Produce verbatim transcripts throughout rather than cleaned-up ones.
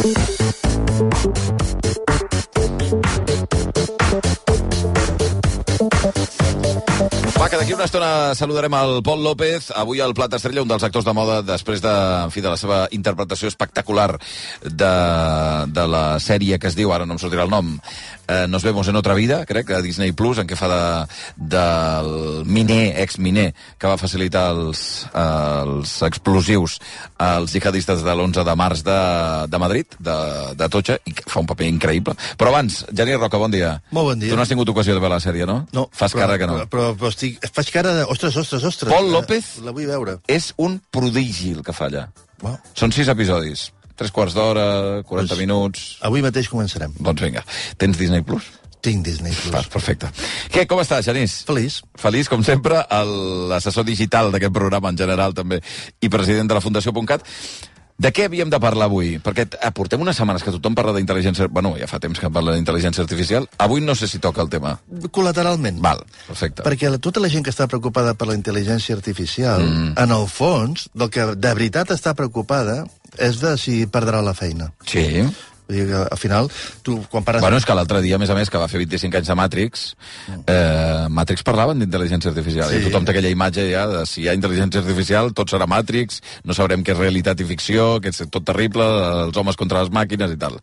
Va, que d'aquí una estona saludarem el Pol López, avui al Plat Estrella, un dels actors de moda després de, en fi, de la seva interpretació espectacular de, de la sèrie que es diu, ara no em sortirà el nom, eh, Nos vemos en otra vida, crec, a Disney Plus, en què fa de, del miner, ex-miner, que va facilitar els, els explosius als jihadistes de l'onze de març de, de Madrid, de, de Atocha, i que fa un paper increïble. Però abans, Genís Roca, bon dia. Molt bon dia. Tu no has tingut ocasió de veure la sèrie, no? No. Fas però, cara que no. Però, però, però estic, faig cara de... Ostres, ostres, ostres. Pol López la, la vull veure. És un prodigi el que fa allà. Wow. Són sis episodis. Tres quarts d'hora, quaranta doncs, minuts... Avui mateix començarem. Doncs vinga. Tens Disney Plus? Tinc Disney Plus. Va, perfecte. Què, com estàs, Genís? Feliç. Feliç, com sempre, l'assessor digital d'aquest programa en general, també, i president de la Fundació .cat. De què havíem de parlar avui? Perquè portem unes setmanes que tothom parla d'intel·ligència... Bueno, ja fa temps que parla d'intel·ligència artificial. Avui no sé si toca el tema. Col·lateralment. Val, perfecte. Perquè tota la gent que està preocupada per la intel·ligència artificial, mm. en el fons, del que de veritat està preocupada és de si perdrà la feina. Sí. Vull dir que, al final, tu, quan pares... Bueno, és que l'altre dia, a més a més, que va fer vint-i-cinc anys de Matrix, eh, Matrix parlaven d'intel·ligència artificial, sí. I tothom té aquella imatge ja de si hi ha intel·ligència artificial, tot serà Matrix, no sabrem què és realitat i ficció, que és tot terrible, els homes contra les màquines i tal.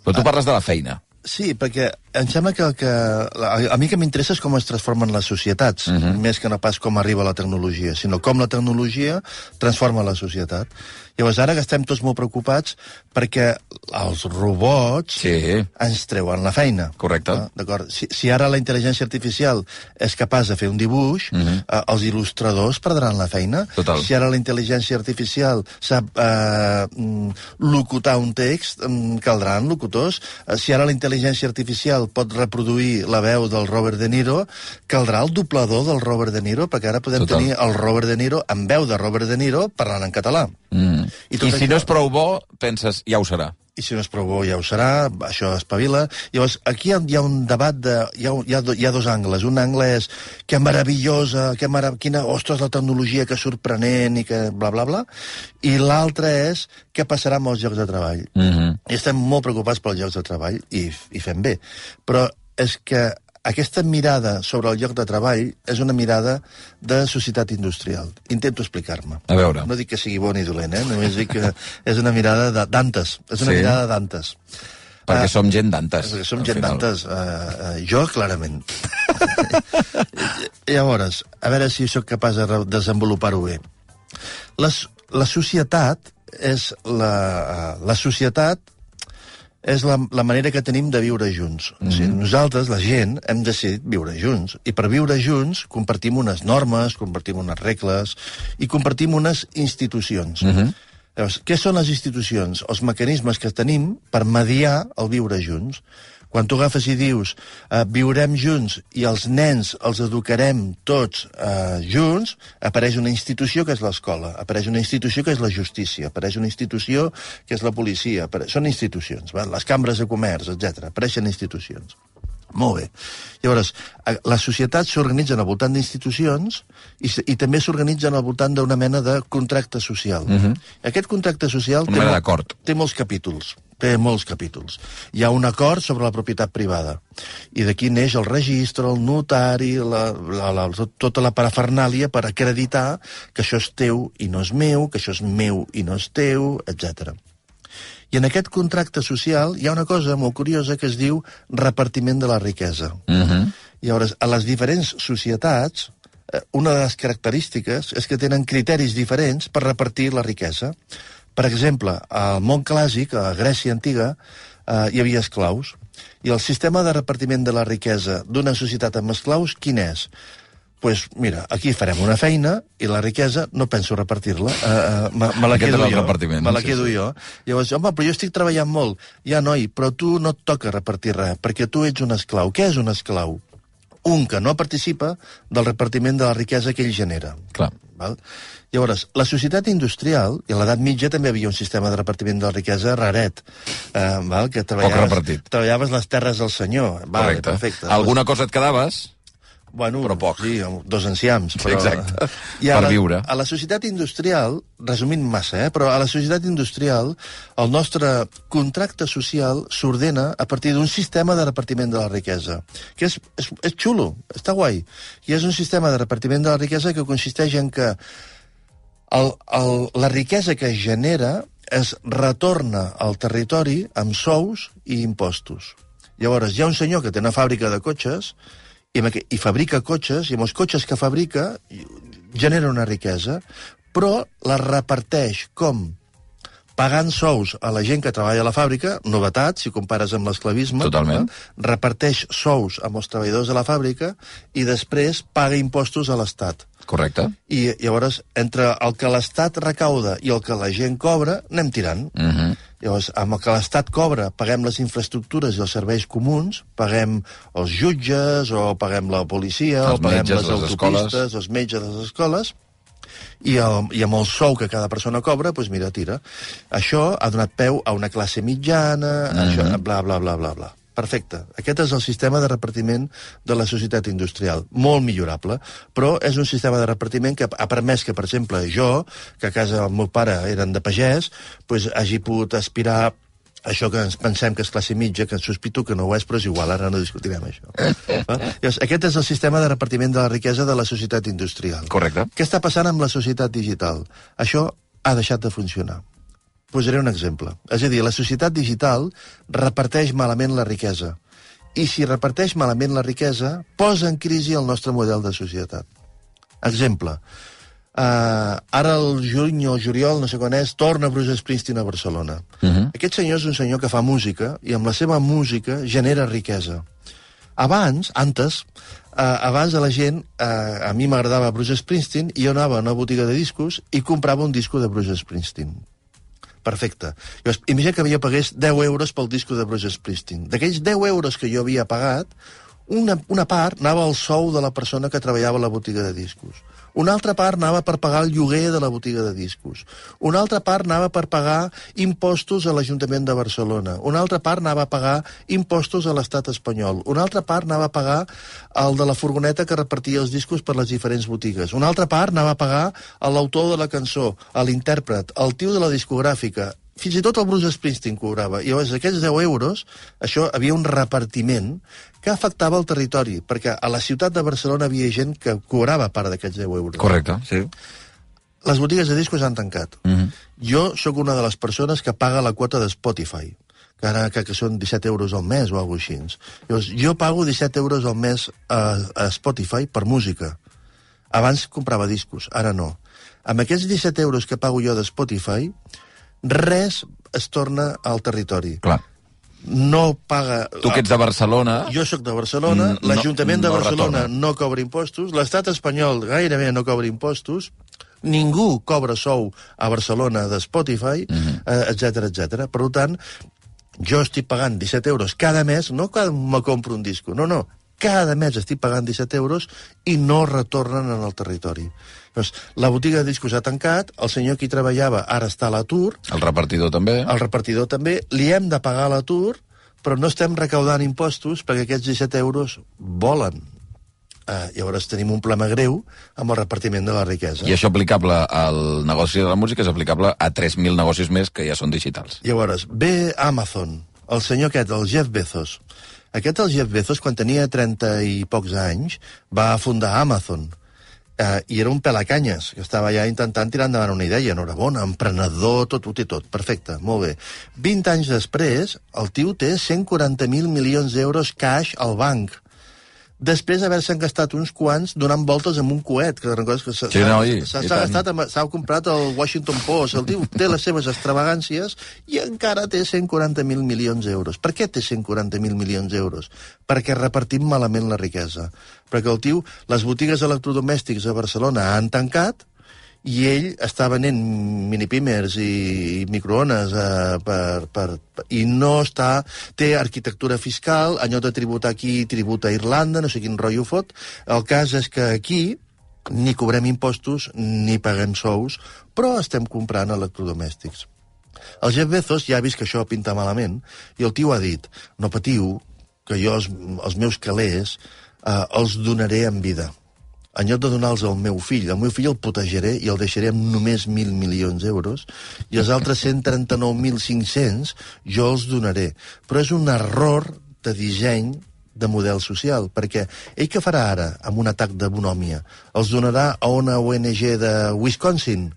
Però tu ah. parles de la feina. Sí, perquè em sembla que, que a mi que m'interessa és com es transformen les societats, uh -huh. més que no pas com arriba la tecnologia, sinó com la tecnologia transforma la societat. Llavors, ara que estem tots molt preocupats perquè els robots sí. ens treuen la feina. Correcte. Ah, d'acord. Si, si ara la intel·ligència artificial és capaç de fer un dibuix, uh -huh. eh, els il·lustradors perdran la feina. Total. Si ara la intel·ligència artificial sap eh, locutar un text, caldran locutors. Eh, si ara la intel·ligència artificial pot reproduir la veu del Robert De Niro, caldrà el doblador del Robert De Niro, perquè ara podem Total. tenir el Robert De Niro amb veu de Robert De Niro parlant en català. Mm. I, I si això... no és prou bo, penses, ja ho serà. I si no és prou bo, ja ho serà, això espavila. Llavors, aquí hi ha, hi ha un debat, de, hi, ha, hi, ha, hi ha dos angles. Un angle és que meravellosa, que marav quina, ostres, la tecnologia, que sorprenent, i que bla, bla, bla. I l'altre és què passarà amb els llocs de treball. Mm-hmm. I estem molt preocupats pels llocs de treball, i, i fem bé. Però és que aquesta mirada sobre el lloc de treball és una mirada de societat industrial. Intento explicar-me. A veure. No dic que sigui bo ni dolent, eh? Només dic que és una mirada de Dantes. És una sí. mirada de Dantes. Perquè uh, som gent Dantes. Perquè som gent Dantes. Uh, uh, jo, clarament. Llavors, a veure si sóc capaç de desenvolupar-ho bé. Les, la societat és la, uh, la societat és la, la manera que tenim de viure junts. Mm-hmm. O sigui, nosaltres, la gent, hem decidit viure junts. I per viure junts compartim unes normes, compartim unes regles i compartim unes institucions. Mm-hmm. Llavors, què són les institucions? Els mecanismes que tenim per mediar el viure junts. Quan tu agafes i dius eh, viurem junts i els nens els educarem tots eh, junts, apareix una institució que és l'escola, apareix una institució que és la justícia, apareix una institució que és la policia, apareix... són institucions, va? Les cambres de comerç, etcètera. Apareixen institucions. Molt bé. Llavors, les societats s'organitzen al voltant d'institucions i, i també s'organitzen al voltant d'una mena de contracte social. Uh-huh. Aquest contracte social té, mol, té molts capítols. Té molts capítols. Hi ha un acord sobre la propietat privada. I d'aquí neix el registre, el notari, la, la, la, tota la parafernàlia per acreditar que això és teu i no és meu, que això és meu i no és teu, etcètera. I en aquest contracte social hi ha una cosa molt curiosa que es diu repartiment de la riquesa. Uh-huh. Llavors, a les diferents societats, una de les característiques és que tenen criteris diferents per repartir la riquesa. Per exemple, al món clàssic, a Grècia antiga, eh, hi havia esclaus. I el sistema de repartiment de la riquesa d'una societat amb esclaus, quin és? Doncs, pues, mira, aquí farem una feina i la riquesa no penso repartir-la. Uh, uh, me, me la quedo jo. Me la quedo sí, sí. jo. Llavors, home, però jo estic treballant molt. Ja, noi, però tu no et toca repartir res, perquè tu ets un esclau. Què és un esclau? Un que no participa del repartiment de la riquesa que ell genera. Clar. Val? Llavors, la societat industrial, i a l'edat mitja també havia un sistema de repartiment de la riquesa raret, eh, val? Que treballaves, treballaves les terres del senyor. Vale, correcte. Perfecte. Alguna cosa et quedaves? Bueno, però poc. Sí, dos enciams. Però... Sí, exacte, I per la, viure. A la societat industrial, resumint massa, eh, però a la societat industrial el nostre contracte social s'ordena a partir d'un sistema de repartiment de la riquesa, que és, és, és xulo, està guai. I és un sistema de repartiment de la riquesa que consisteix en que el, el, la riquesa que es genera es retorna al territori amb sous i impostos. Llavors, hi ha un senyor que té una fàbrica de cotxes i, i fabrica cotxes, i amb els cotxes que fabrica genera una riquesa, però la reparteix com? Pagant sous a la gent que treballa a la fàbrica, novetat, si compares amb l'esclavisme. Totalment. No? Reparteix sous amb els treballadors de la fàbrica i després paga impostos a l'Estat. Correcte. I llavors, entre el que l'Estat recauda i el que la gent cobra, anem tirant. Mhm. Uh-huh. Llavors, amb el que l'Estat cobra, paguem les infraestructures i els serveis comuns, paguem els jutges, o paguem la policia, els o paguem metges, les les autopistes, escoles. els metges de les escoles, i, el, i amb el sou que cada persona cobra, doncs mira, tira. Això ha donat peu a una classe mitjana, mm-hmm. això, bla, bla, bla, bla, bla. Perfecte. Aquest és el sistema de repartiment de la societat industrial. Molt millorable, però és un sistema de repartiment que ha permès que, per exemple, jo, que a casa el meu pare eren de pagès, doncs hagi pogut aspirar això que ens pensem que és classe mitja, que sospito que no ho és, però és igual, ara no discutirem això. Llavors, aquest és el sistema de repartiment de la riquesa de la societat industrial. Correcte. Què està passant amb la societat digital? Això ha deixat de funcionar. Posaré un exemple. És a dir, la societat digital reparteix malament la riquesa. I si reparteix malament la riquesa, posa en crisi el nostre model de societat. Exemple. Uh, ara el juny o el juliol, no sé quan és, torna Bruce Springsteen a Barcelona. Uh-huh. Aquest senyor és un senyor que fa música i amb la seva música genera riquesa. Abans, antes, uh, abans de la gent, uh, a mi m'agradava Bruce Springsteen i jo anava a una botiga de discos i comprava un disco de Bruce Springsteen. Perfecte. Llavors, imagina que havia pagués deu euros pel disco de Bruce Springsteen. D'aquells deu euros que jo havia pagat, una, una part anava al sou de la persona que treballava a la botiga de discos. Una altra part anava per pagar el lloguer de la botiga de discos. Una altra part anava per pagar impostos a l'Ajuntament de Barcelona. Una altra part anava a pagar impostos a l'Estat espanyol. Una altra part anava a pagar el de la furgoneta que repartia els discos per les diferents botigues. Una altra part anava a pagar a l'autor de la cançó, a l'intèrpret, al tio de la discogràfica. Fins i tot el Bruce Springsteen cobrava. I llavors, aquests deu euros, això havia un repartiment que afectava el territori, perquè a la ciutat de Barcelona havia gent que cobrava part d'aquests deu euros. Correcte, sí. Les botigues de discos han tancat. Mm-hmm. Jo sóc una de les persones que paga la quota de Spotify, que ara que, que són disset euros al mes o alguna cosa així. Llavors, jo pago disset euros al mes a, a Spotify per música. Abans comprava discos, ara no. Amb aquests disset euros que pago jo de Spotify, res es torna al territori. Clar. No paga... Tu que ets de Barcelona... Jo sóc de Barcelona, mm, l'Ajuntament no, de Barcelona no, no cobra impostos, l'Estat espanyol gairebé no cobra impostos, ningú cobra sou a Barcelona de Spotify, mm-hmm. eh, etcètera, etcètera. Per tant, jo estic pagant disset euros cada mes, no cada me compro un disco, no, no, cada mes estic pagant disset euros i no retornen en el territori. Doncs, la botiga de discos ha tancat, el senyor que hi treballava ara està a l'atur... El repartidor també. El repartidor també. Li hem de pagar l'atur, però no estem recaudant impostos perquè aquests disset euros volen. Uh, llavors tenim un problema greu amb el repartiment de la riquesa. I això aplicable al negoci de la música és aplicable a tres mil negocis més que ja són digitals. Llavors, ve Amazon, el senyor aquest, el Jeff Bezos. Aquest, el Jeff Bezos, quan tenia trenta i pocs anys, va fundar Amazon. Uh, i era un pelacanyes, que estava ja intentant tirar endavant una idea. Enhorabona, emprenedor, tot, ho té tot. Perfecte, molt bé. vint anys després, el tio té cent quaranta mil milions d'euros cash al banc. Després d'haver-se'n gastat uns quants donant voltes amb un coet, que recordes que s'ha sí, no, gastat, s'ha comprat el Washington Post, el tio té les seves extravagàncies i encara té cent quaranta mil milions d'euros. Per què té cent quaranta mil milions d'euros? Perquè repartim malament la riquesa. Perquè el tio, les botigues electrodomèstics a Barcelona han tancat i ell està venent minipímers i microones eh, per, per, per, i no està... Té arquitectura fiscal, allò de tributar aquí, tributa a Irlanda, no sé quin rotllo fot. El cas és que aquí ni cobrem impostos ni paguem sous, però estem comprant electrodomèstics. El Jeff Bezos ja ha vist que això pinta malament i el tio ha dit, no patiu, que jo els, els meus calés uh, els donaré en vida. En lloc de donar-los al meu fill, el meu fill el protegeré i el deixaré amb només mil milions d'euros, i els altres cent trenta-nou mil cinc-cents jo els donaré. Però és un error de disseny de model social, perquè ell què farà ara amb un atac de bonòmia? Els donarà a una O N G de Wisconsin?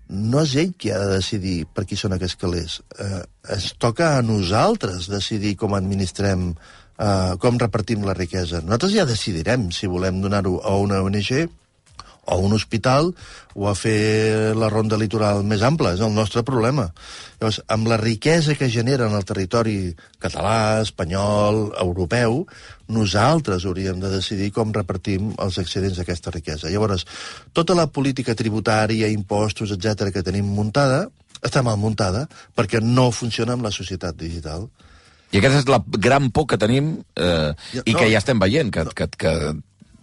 No és ell qui ha de decidir per qui són aquests calés. Eh, es toca a nosaltres decidir com administrem Uh, com repartim la riquesa. Nosaltres ja decidirem si volem donar-ho a una O N G o a un hospital o a fer la ronda litoral més ampla. És el nostre problema. Llavors, amb la riquesa que genera en el territori català, espanyol, europeu, nosaltres hauríem de decidir com repartim els excedents d'aquesta riquesa. Llavors, tota la política tributària, impostos, etcètera que tenim muntada, està mal muntada perquè no funciona amb la societat digital. I aquesta és la gran por que tenim eh, ja, i que no, ja estem veient, que, no. que, que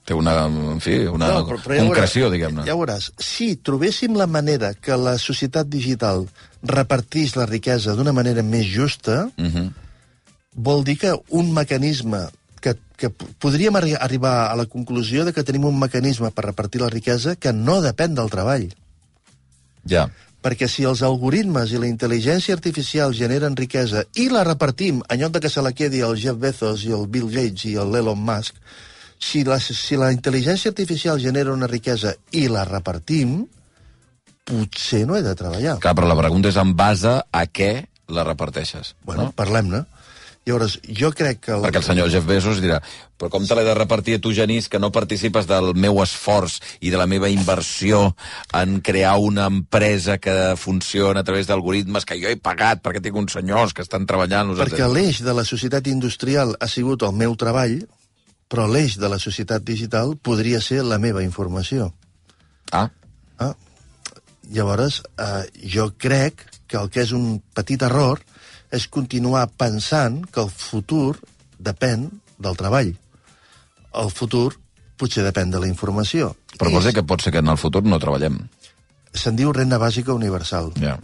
té una, en fi, una no, però, però concreció, diguem-ne. Ja veuràs, si trobéssim la manera que la societat digital repartís la riquesa d'una manera més justa, uh-huh. vol dir que un mecanisme que, que podríem arri arribar a la conclusió de que tenim un mecanisme per repartir la riquesa que no depèn del treball. Ja. Perquè si els algoritmes i la intel·ligència artificial generen riquesa i la repartim, en lloc de que se la quedi el Jeff Bezos i el Bill Gates i l'Elon Musk, si la, si la intel·ligència artificial genera una riquesa i la repartim, potser no he de treballar. Clar, però la pregunta és en base a què la reparteixes. Bueno, no? Parlem-ne. Llavors, jo crec que... El... Perquè el senyor Jeff Bezos dirà, però com te l'he de repartir a tu, Genís, que no participes del meu esforç i de la meva inversió en crear una empresa que funciona a través d'algoritmes que jo he pagat perquè tinc uns senyors que estan treballant... Perquè l'eix de la societat industrial ha sigut el meu treball, però l'eix de la societat digital podria ser la meva informació. Ah. ah. Llavors, eh, jo crec que el que és un petit error és continuar pensant que el futur depèn del treball. El futur potser depèn de la informació. Però vols dir que pot ser que en el futur no treballem? Se'n diu renda bàsica universal. Ja.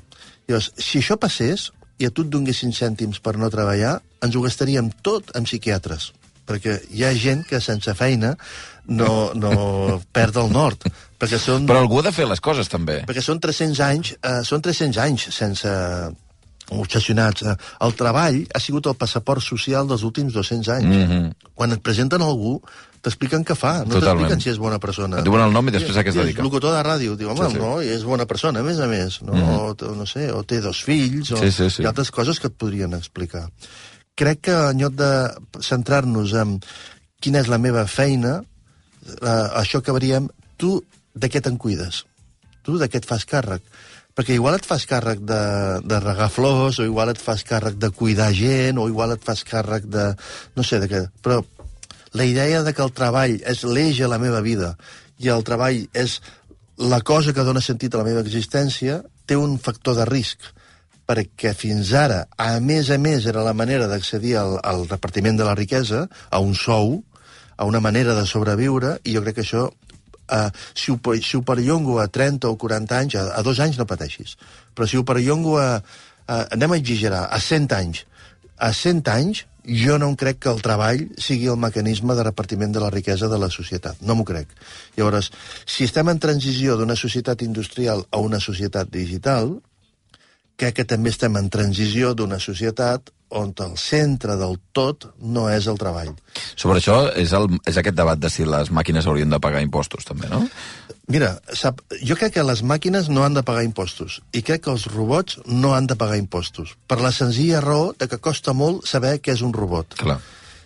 Llavors, si això passés i a tu et donessin cèntims per no treballar, ens ho gastaríem tot amb psiquiatres. Perquè hi ha gent que sense feina no, no perd el nord. Perquè són... Però algú ha de fer les coses, també. Perquè són tres-cents anys, eh, són tres-cents anys sense... obsessionats. El treball ha sigut el passaport social dels últims dos-cents anys. Mm-hmm. Quan et presenten algú, t'expliquen què fa. No t'expliquen si és bona persona. Et diuen el nom i després a què es dedica. És locutor de ràdio. Diu, home, sí, sí. no, i és bona persona, a més a més. No, mm-hmm. o, no sé, o té dos fills, o sí, sí, sí. hi ha altres coses que et podrien explicar. Crec que en lloc de centrar-nos en quina és la meva feina, eh, això acabaríem, tu de què te'n cuides? Tu de què et fas càrrec? Perquè igual et fas càrrec de, de regar flors, o igual et fas càrrec de cuidar gent, o igual et fas càrrec de... no sé, de què... Però la idea de que el treball és l'eix a la meva vida i el treball és la cosa que dona sentit a la meva existència, té un factor de risc. Perquè fins ara, a més a més, era la manera d'accedir al, al repartiment de la riquesa, a un sou, a una manera de sobreviure, i jo crec que això... Uh, si, ho, si ho perllongo a trenta o quaranta anys, a, a dos anys no pateixis, però si ho perllongo a, a, anem a exagerar, a cent anys, a cent anys jo no em crec que el treball sigui el mecanisme de repartiment de la riquesa de la societat, no m'ho crec. Llavors, si estem en transició d'una societat industrial a una societat digital, crec que també estem en transició d'una societat on el centre del tot no és el treball. Sobre això és, el, és aquest debat de si les màquines haurien de pagar impostos, també, no? Mira, sap, jo crec que les màquines no han de pagar impostos i crec que els robots no han de pagar impostos, per la senzilla raó de que costa molt saber què és un robot. Clar.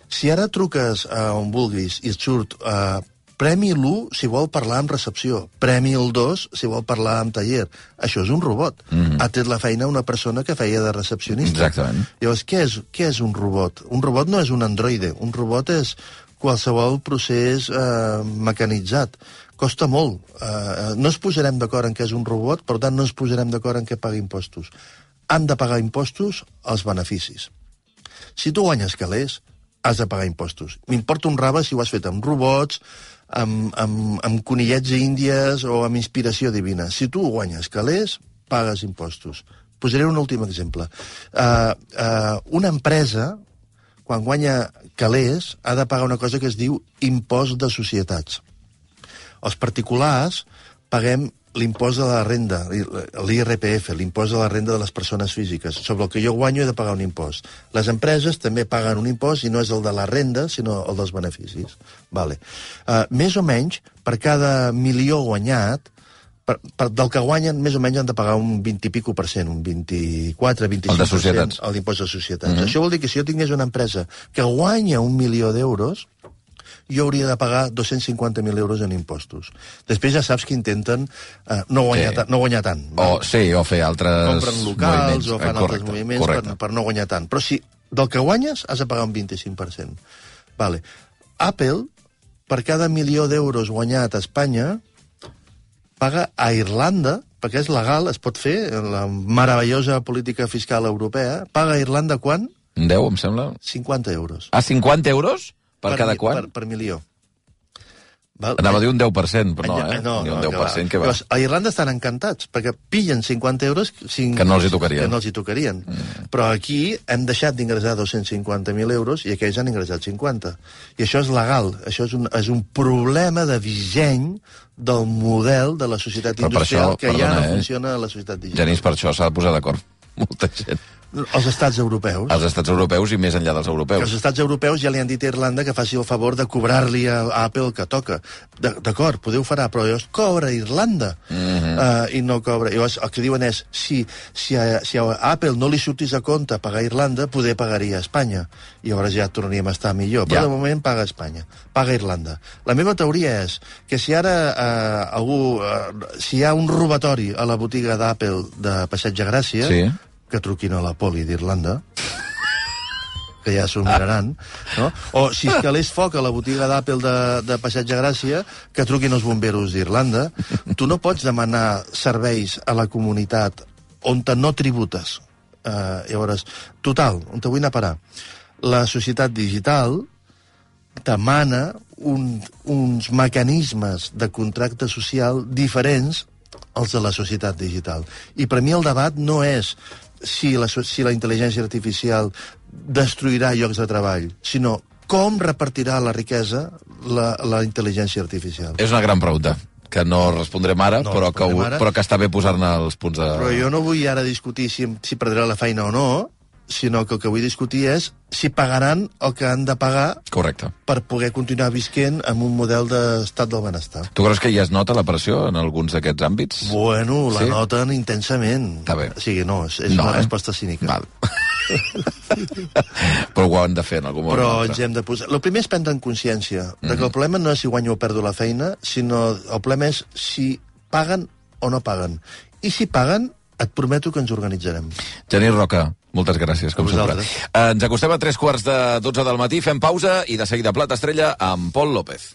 Si ara truques a on vulguis i et surt uh, Premi l'u si vol parlar amb recepció, Premi el dos si vol parlar amb taller. Això és un robot. Mm-hmm. Ha tret la feina una persona que feia de recepcionista. Exactament. Llavors, què és, què és un robot? Un robot no és un androide. Un robot és qualsevol procés eh, mecanitzat. Costa molt. Eh, no ens posarem d'acord en què és un robot, per tant no ens posarem d'acord en què paga impostos. Han de pagar impostos els beneficis. Si tu guanyes calés, has de pagar impostos. M'importa un rave si ho has fet amb robots, amb, amb, amb conillets índies o amb inspiració divina. Si tu guanyes calés, pagues impostos. Posaré un últim exemple. Uh, uh, una empresa, quan guanya calés, ha de pagar una cosa que es diu impost de societats. Els particulars paguem l'impost de la renda, l'I R P F, l'impost de la renda de les persones físiques. Sobre el que jo guanyo he de pagar un impost. Les empreses també paguen un impost i no és el de la renda, sinó el dels beneficis. Vale. Uh, més o menys, per cada milió guanyat, per, per, del que guanyen, més o menys han de pagar un vint i pico per cent, un vint-i-quatre, vint-i-cinc per cent el d'impost de societats. Mm-hmm. Això vol dir que si jo tingués una empresa que guanya un milió d'euros, jo hauria de pagar dos-cents cinquanta mil euros en impostos. Després ja saps que intenten uh, no, guanyar sí. no guanyar tant. O, sí, o fer altres compren locals moviments. O fan correcte, altres moviments per, per no guanyar tant. Però si del que guanyes has de pagar un vint-i-cinc per cent. Vale. Apple, per cada milió d'euros guanyat a Espanya, paga a Irlanda, perquè és legal, es pot fer, la meravellosa política fiscal europea, paga a Irlanda quan? deu, em sembla. cinquanta euros. Ah, cinquanta euros? Per, per cada quan? Per, per milió. Val? Anava a dir un deu per cent, però no, eh? No, no, un deu per cent, que va. Llavors, a Irlanda estan encantats, perquè pillen cinquanta euros... Cinc, que no els hi tocarien. Que no els hi tocarien. Mm. Però aquí hem deixat d'ingressar dos-cents cinquanta mil euros i aquells han ingressat cinquanta. I això és legal. Això és un, és un problema de disseny del model de la societat però industrial això, que perdona, ja no eh? funciona a la societat digital. Genís, per això s'ha de posar d'acord molta gent. Els estats europeus. Els estats europeus i més enllà dels europeus. Els estats europeus ja li han dit a Irlanda que faci el favor de cobrar-li a Apple el que toca. D'acord, podeu farà, però llavors cobra a Irlanda. Mm-hmm. uh, I no cobra. Llavors el que diuen és, si, si, a, si a Apple no li sortís a compte pagar a Irlanda, poder pagaria a Espanya. I llavors ja tornaríem a estar millor. Però ja. De moment paga a Espanya, paga a Irlanda. La meva teoria és que si ara uh, algú... Uh, si hi ha un robatori a la botiga d'Apple de Passeig de Gràcia... Sí. Que truquin a la poli d'Irlanda, que ja s'ho miraran, no? O si es calés foc a la botiga d'Apple de, de Passeig de Gràcia, que truquin els bomberos d'Irlanda. Tu no pots demanar serveis a la comunitat on te no tributes. Uh, llavors, total, on te vull anar a parar? La societat digital demana un, uns mecanismes de contracte social diferents als de la societat digital. I per mi el debat no és si la, si la intel·ligència artificial destruirà llocs de treball, sinó com repartirà la riquesa la, la intel·ligència artificial. És una gran pregunta, que no respondrem ara, no però, respondrem que, ara. però que està bé posar-ne els punts de... Però jo no vull ara discutir si, si perdrà la feina o no, sinó que el que vull discutir és si pagaran el que han de pagar. Correcte. Per poder continuar visquent amb un model d'estat del benestar. Tu creus que ja es nota la pressió en alguns d'aquests àmbits? Bueno, la sí? noten intensament. Està bé. O sigui, no, és, és no, una eh? resposta cínica. Val. Però ho han de fer en algun moment. Però ens hem de posar... El primer és prendre en consciència mm-hmm. de que el problema no és si guanyo o perdo la feina, sinó el problema és si paguen o no paguen. I si paguen, et prometo que ens organitzarem. Genís Roca, moltes gràcies, com sempre. Ens acostem a tres quarts de dotze del matí, fem pausa i de seguida Plat Estrella amb Pol López.